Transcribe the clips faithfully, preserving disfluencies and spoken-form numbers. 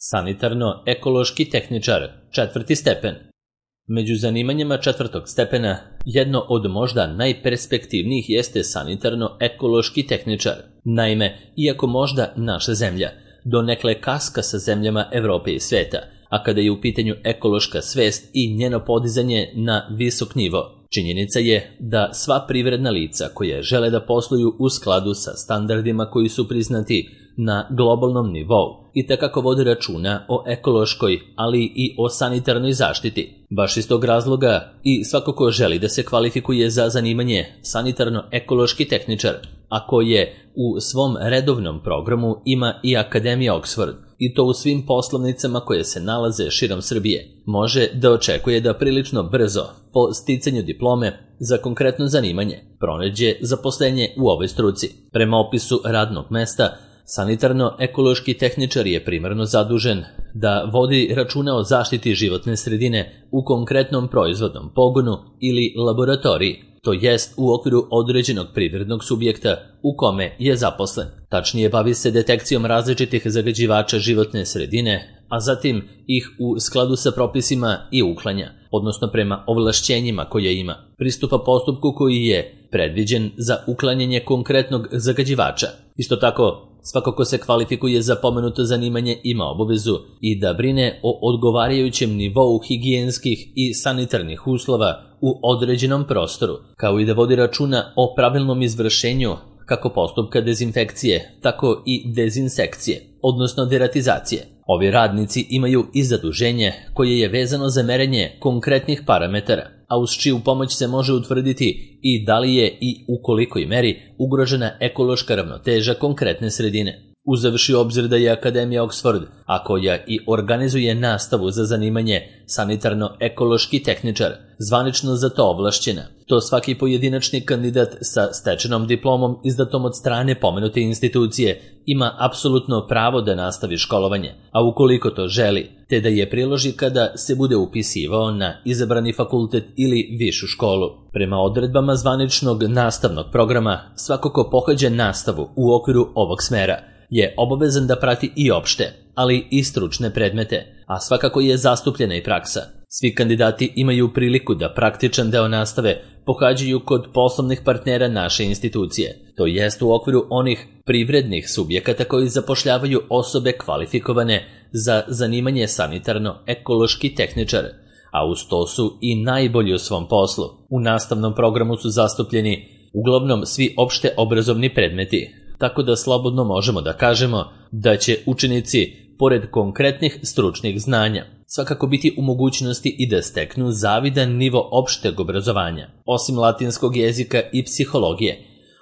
Sanitarno-ekološki tehničar, četvrti stepen. Među zanimanjima četvrtog stepena, jedno od možda najperspektivnijih jeste sanitarno-ekološki tehničar. Naime, iako možda naša zemlja donekle kaska sa zemljama Evrope i sveta, a kada je u pitanju ekološka svest i njeno podizanje na visok nivo, činjenica je da sva privredna lica koja žele da posluju u skladu sa standardima koji su priznati na globalnom nivou i takako vode računa o ekološkoj, ali i o sanitarnoj zaštiti. Baš iz tog razloga i svako ko želi da se kvalifikuje za zanimanje sanitarno-ekološki tehničar, a koje u svom redovnom programu ima i Akademija Oxford, i to u svim poslovnicama koje se nalaze širom Srbije, može da očekuje da prilično brzo, po sticanju diplome za konkretno zanimanje, pronađe zaposlenje u ovoj struci. Prema opisu radnog mesta, sanitarno-ekološki tehničar je primarno zadužen da vodi računa o zaštiti životne sredine u konkretnom proizvodnom pogonu ili laboratoriji, to jest u okviru određenog privrednog subjekta u kome je zaposlen. Tačnije, bavi se detekcijom različitih zagađivača životne sredine, a zatim ih u skladu sa propisima i uklanja, odnosno prema ovlašćenjima koje ima. Pristupa postupku koji je predviđen za uklanjanje konkretnog zagađivača. Isto tako, svako ko se kvalifikuje za pomenuto zanimanje ima obavezu i da brine o odgovarajućem nivou higijenskih i sanitarnih uslova u određenom prostoru, kao i da vodi računa o pravilnom izvršenju kako postupka dezinfekcije, tako i dezinsekcije, odnosno deratizacije. Ovi radnici imaju i zaduženje koje je vezano za merenje konkretnih parametara, a uz čiju pomoć se može utvrditi i da li je i u kolikoj meri ugrožena ekološka ravnoteža konkretne sredine. Uzevši u obzir da je Akademija Oxford, a koja i organizuje nastavu za zanimanje sanitarno-ekološki tehničar, zvanično za to ovlašćena, to svaki pojedinačni kandidat sa stečenom diplomom izdatom od strane pomenute institucije ima apsolutno pravo da nastavi školovanje, a ukoliko to želi, te da je priloži kada se bude upisivao na izabrani fakultet ili višu školu. Prema odredbama zvaničnog nastavnog programa, svako ko pohađa nastavu u okviru ovog smera je obavezan da prati i opšte, ali i stručne predmete, a svakako je zastupljena i praksa. Svi kandidati imaju priliku da praktičan deo nastave pohađaju kod poslovnih partnera naše institucije, to jest u okviru onih privrednih subjekata koji zapošljavaju osobe kvalifikovane za zanimanje sanitarno-ekološki tehničar, a uz to su i najbolji u svom poslu. U nastavnom programu su zastupljeni uglavnom svi opšte obrazovni predmeti, tako da slobodno možemo da kažemo da će učenici, pored konkretnih stručnih znanja, svakako biti u mogućnosti i da steknu zavidan nivo opšteg obrazovanja, osim latinskog jezika i psihologije,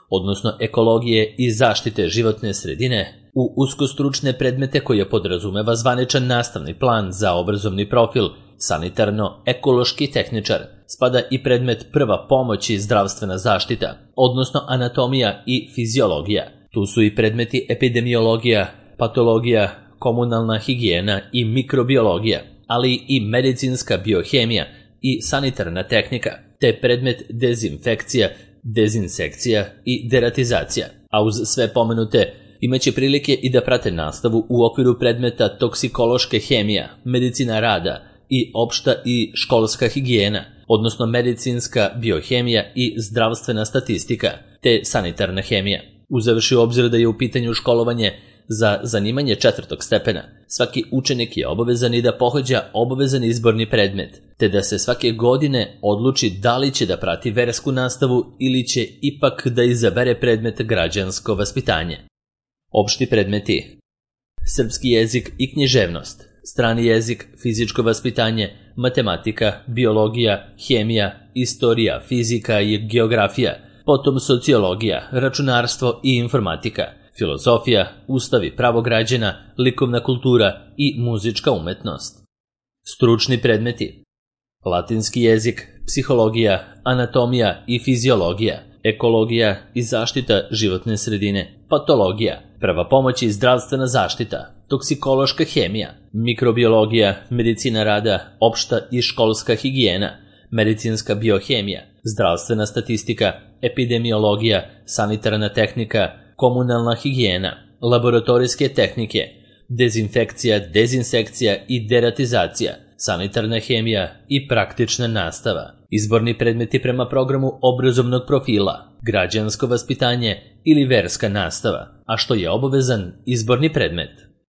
odnosno ekologije i zaštite životne sredine, u uskostručne predmete koje podrazumeva zvaničan nastavni plan za obrazovni profil sanitarno-ekološki tehničar, spada i predmet prva pomoć i zdravstvena zaštita, odnosno anatomija i fiziologija. Tu su i predmeti epidemiologija, patologija, komunalna higijena i mikrobiologija, ali i medicinska biohemija i sanitarna tehnika, te predmet dezinfekcija, dezinsekcija i deratizacija. A uz sve pomenute imaće prilike i da prate nastavu u okviru predmeta toksikološka hemija, medicina rada i opšta i školska higijena, odnosno medicinska biohemija i zdravstvena statistika, te sanitarna hemija. Uzevši u obzir da je u pitanju školovanje za zanimanje četvrtog stepena, svaki učenik je obavezan i da pohađa obavezan izborni predmet, te da se svake godine odluči da li će da prati versku nastavu ili će ipak da izabere predmet građansko vaspitanje. Opšti predmeti: srpski jezik i književnost, strani jezik, fizičko vaspitanje, matematika, biologija, hemija, istorija, fizika i geografija, potom sociologija, računarstvo i informatika, filozofija, ustav i pravo građana, likovna kultura i muzička umetnost. Stručni predmeti: latinski jezik, psihologija, anatomija i fiziologija, ekologija i zaštita životne sredine, patologija, prva pomoć i zdravstvena zaštita, toksikološka hemija, mikrobiologija, medicina rada, opšta i školska higijena, medicinska biohemija, zdravstvena statistika, epidemiologija, sanitarna tehnika, komunalna higijena, laboratorijske tehnike, dezinfekcija, dezinsekcija i deratizacija, sanitarna hemija i praktična nastava, izborni predmeti prema programu obrazovnog profila, građansko vaspitanje ili verska nastava, a što je obavezan izborni predmet.